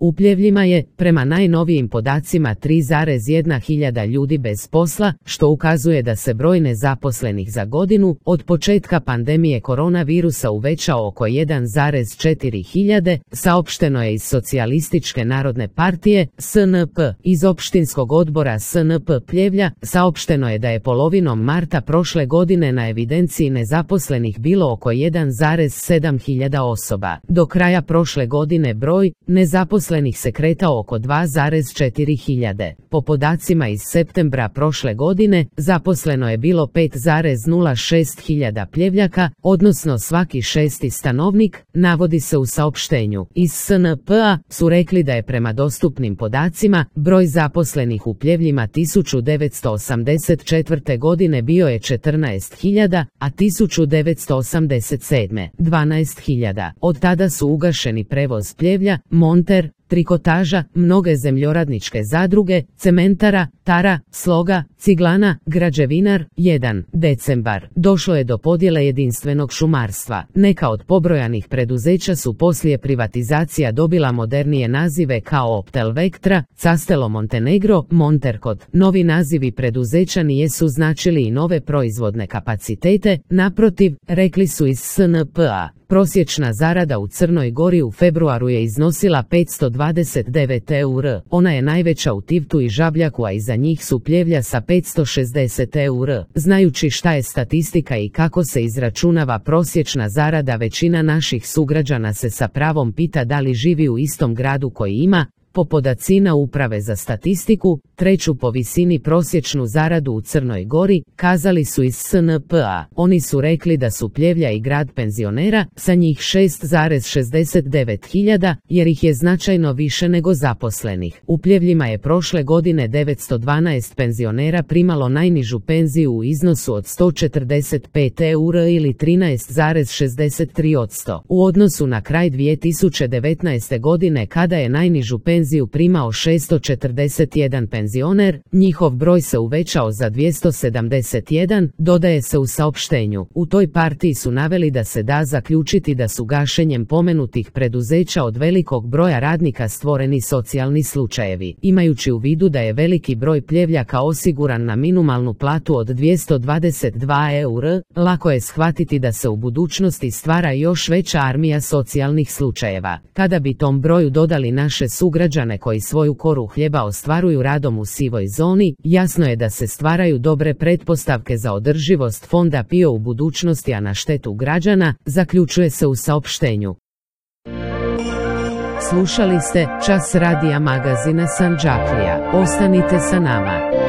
U Pljevljima je, prema najnovijim podacima, 3,1 hiljada ljudi bez posla, što ukazuje da se broj nezaposlenih za godinu od početka pandemije koronavirusa uvećao oko 1,4 hiljade, saopšteno je iz Socijalističke narodne partije, SNP. Iz opštinskog odbora SNP Pljevlja saopšteno je da je polovinom marta prošle godine na evidenciji nezaposlenih bilo oko 1,7 hiljada osoba. Do kraja prošle godine broj nezaposlenih se kretao oko 2,4 hiljade. Po podacima iz septembra prošle godine, zaposleno je bilo 5,06 hiljada Pljevljaka, odnosno svaki šesti stanovnik, navodi se u saopštenju. Iz SNP-a su rekli da je prema dostupnim podacima, broj zaposlenih u Pljevljima 1984. godine bio je 14 hiljada, a 1987. 12 hiljada. Od tada su ugašeni Prevoz Pljevlja, Monter, Trikotaža, mnoge zemljoradničke zadruge, cementara, Tara, Sloga, Ciglana, Građevinar. 1. decembar. Došlo je do podjele jedinstvenog šumarstva. Neka od pobrojanih preduzeća su poslije privatizacija dobila modernije nazive kao Optel Vectra, Castelo Montenegro, Monterkot. Novi nazivi preduzeća nijesu značili i nove proizvodne kapacitete, naprotiv, rekli su iz SNP-a. Prosječna zarada u Crnoj Gori u februaru je iznosila 529 eur. Ona je najveća u Tivtu i Žabljaku, a iza njih su Pljevlja sa 560 eur. Znajući šta je statistika i kako se izračunava prosječna zarada, većina naših sugrađana se sa pravom pita da li živi u istom gradu koji ima, po podacima Uprave za statistiku, treću po visini prosječnu zaradu u Crnoj Gori, kazali su iz SNP-a. Oni su rekli da su Pljevlja i grad penzionera, sa njih 6,69 hiljada, jer ih je značajno više nego zaposlenih. U Pljevljima je prošle godine 912 penzionera primalo najnižu penziju u iznosu od 145 eura ili 13,63%. U odnosu na kraj 2019. godine, kada je najnižu penziju primao 641 penzioner, njihov broj se uvećao za 271, dodaje se u saopštenju. U toj partiji su naveli da se da zaključiti da su gašenjem pomenutih preduzeća od velikog broja radnika stvoreni socijalni slučajevi. Imajući u vidu da je veliki broj Pljevljaka osiguran na minimalnu platu od 222 eura, lako je shvatiti da se u budućnosti stvara još veća armija socijalnih slučajeva. Kada bi tom broju dodali naše sugrađane koji svoju koru hljeba ostvaruju radom u sivoj zoni, jasno je da se stvaraju dobre pretpostavke za održivost fonda PIO u budućnosti, a na štetu građana, zaključuje se u saopštenju. Slušali ste Čas radija magazina Sandžaklija. Ostanite sa nama.